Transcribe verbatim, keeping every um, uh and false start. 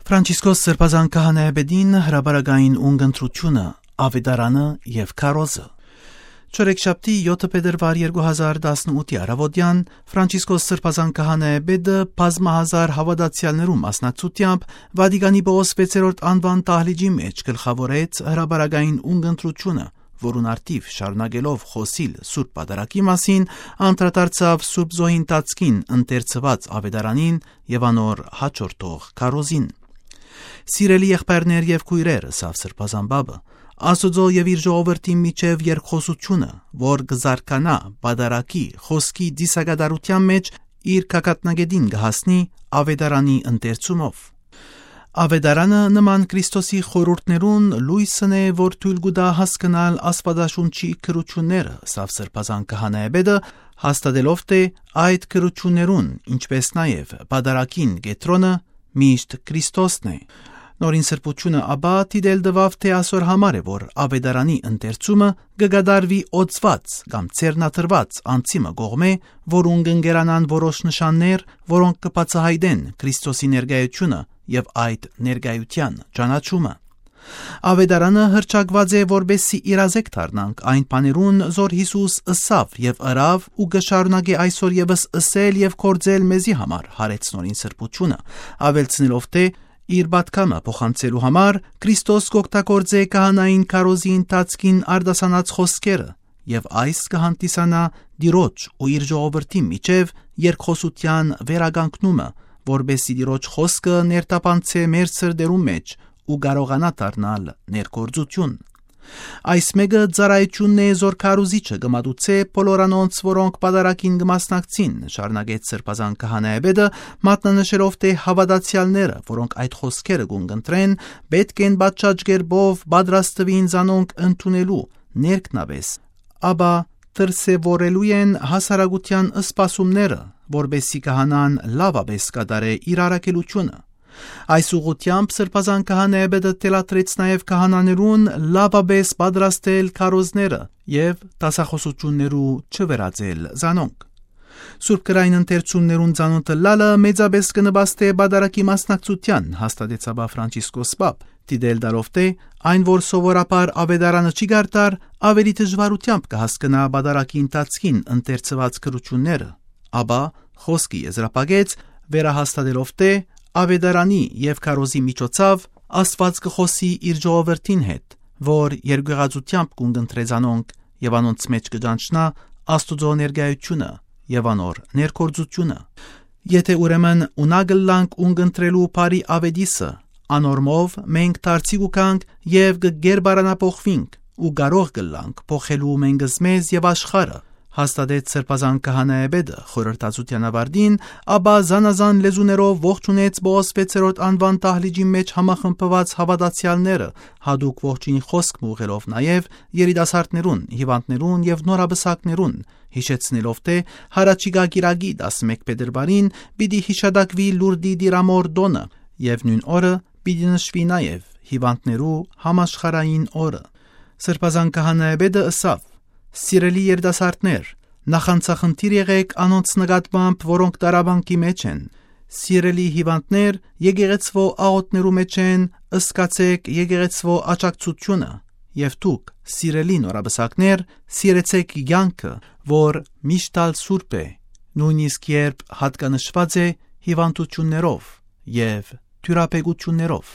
Ֆրանցիսկոս Սրբազան Քահանայապետին հրապարակային ունգընտրութիւնը, Աւետարանը եւ Քարոզը։ Չորեքշաբթի, եօթը փետրուար երկու հազար տասնութի առաւօտեան, Ֆրանցիսկոս Սրբազան Քահանայապետը բազմահազար հաւատացեալներու մասնակցութեամբ Վատիկանի Պողոս վեցերորդ անուան դահլիճի մէջ գլխաւորեց հրապարակային ունգընտրութիւնը, որուն արդիւ շարունակելով խօսիլ Սուրբ Պատարագի մասին, անդրադարձաւ Սուրբ Զոհին տածքին ընթերցուած Աւետարանին եւ անոր հաջորդող քարոզին։ «Սիրելի եղբայրներ եւ քոյրեր», ըսաւ Սրբազան Պապը, «Աստուծոյ եւ իր ժողովրդին միջեւ երկխօսութիւնը, որ կը զարգանայ Պատարագի խօսքի ծիսակատարութեան մէջ, իր գագաթնակէտին կը հասնի Աւետարանի ընթերցումով։ Աւետարանը նման Քրիստոսի խորհուրդներուն լոյսն է, որ թոյլ կու տայ հասկնալ Աստուածաշունչի գրութիւնները», ըսաւ Սրբազան Քահանայապետը, հաստատելով թէ այդ գրութիւններուն, ինչպէս նաեւ Պատարագին կեդրոնը միշտ Քրիստոսն է։ Նորին Սրբութիւնը ապա դիտել տուաւ թէ ասոր համար է, որ Աւետարանի ընթերցումը կը կատարուի օծուած կամ ձեռնադրուած անձի մը կողմէ, որուն կ'ընկերանան որոշ նշաններ, որոնք կը բացայայտեն Քրիստոսի ներկայութիւնը եւ այդ ներկայութեան ճանաչումը։ Աւետարանը հռչակուած է, որպէսզի իրազեկ դառնանք այն բաներուն, զոր Յիսուս ըսաւ եւ ըրաւ ու կը շարունակէ այսօր եւս ըսել եւ գործել մեզի համար, յարեց Նորին Սրբութիւնը, աւելցնելով թէ իր պատգամը փոխանցելու համար Քրիստոս կ'օգտագործէ քահանային քարոզի ընթացքին արտասանած խօսքերը, եւ այս կը հանդիսանայ Տիրոջ ու իր ժողովրդին միջեւ երկխօսութեան վերականգնումը, որպէսզի Տիրոջ խօսքը ներթափանցէ մեր սրտերուն մէջ ու կարողանայ դառնալ ներգործութիւն։ Այս մէկը ծառայութիւնն է, զոր քարոզիչը կը մատուցէ բոլոր անոնց, որոնք Պատարագին կը մասնակցին, շարունակեց Սրբազան Քահանայապետը, մատնանշելով թէ հաւատացեալները, որոնք այդ խօսքերը կ'ունկնդրեն, պէտք են պատշաճ կերպով պատրաստուին զանոնք ընդունելու ներքնապէս, ապա դրսեւորելու են հասարակութեան սպասումները, որպէսզի քահանան լաւապէս կատարէ իր առաքելութիւնը։ Այս ուղղութեամբ Սրբազան Քահանայապետը թելադրեց նաեւ քահանաներուն լաւապէս պատրաստել քարոզները եւ դասախօսութիւններու չվերածել զանոնք։ Սուրբ գրային ընթերցումներուն ծանօթ ըլլալը մեծապէս կը նպաստէ Պատարագի մասնակցութեան, հաստատեց ապա Ֆրանցիսկոս Պապ, դիտել տալով թէ այն, որ սովորաբար Աւետարանը չի կարդար, աւելի դժուարութեամբ կը հասկնայ Պատարագի ընթացքին ընթերցուած գրութիւնները, ապա խօսքը եզրափակեց, վերահաստատելով թէ Աւետարանի եւ քարոզի միջոցաւ Աստուած կը խօսի իր ժողովրդին հետ, որ երկեղածութեամբ կ'ունկնդրէ զանոնք եւ անոնց մէջ կը ճանչնայ Աստուծոյ ներկայութիւնը եւ անոր ներգործութիւնը։ Եթէ ուրեմն ունակ ըլլանք ունկնդրելու բարի աւետիսը, անոր մով մենք դարձի կու գանք եւ կը գերբարանափոխուինք ու կարող կ'ըլլանք փոխելու մենքզմեզ եւ աշխարհը, հաստատեց Սրբազան Քահանայապետը խորհրդածութեան աւարտին, ապա զանազան լեզուներով ողջունեց Պողոս վեցերորդ անուան դահլիճի մէջ համախմբուած հաւատացեալները, յատուկ ողջոյնի խօսք մը ուղղելով նաեւ երիտասարդներուն, հիւանդներուն եւ նորապսակներուն, յիշեցնելով թէ յառաջիկայ կիրակի տասնմէկ փետրուարին պիտի յիշատակուի Լուրդի Տիրամօր տօնը եւ նոյն օրը պիտի նշուի նաեւ հիւանդներու համաշխարհային օրը։ Սրբազան Քահանայապետը ըսաւ. «Սիրելի երիտասարդներ, նախանձախնդիր եղէք անոնց նկատմամբ, որոնք տառապանքի մէջ են։ Սիրելի հիւանդներ, եկեղեցւոյ աղօթքներու մէջ են, զգացէք եկեղեցւոյ աջակցութիւնը, եւ դուք, սիրելի նորապսակներ, սիրեցէք կեանքը, որ միշտ ալ սուրբ է, նոյնիսկ երբ յատկանշուած է հիւանդութիւններով եւ դիւրաբեկութիւններով»։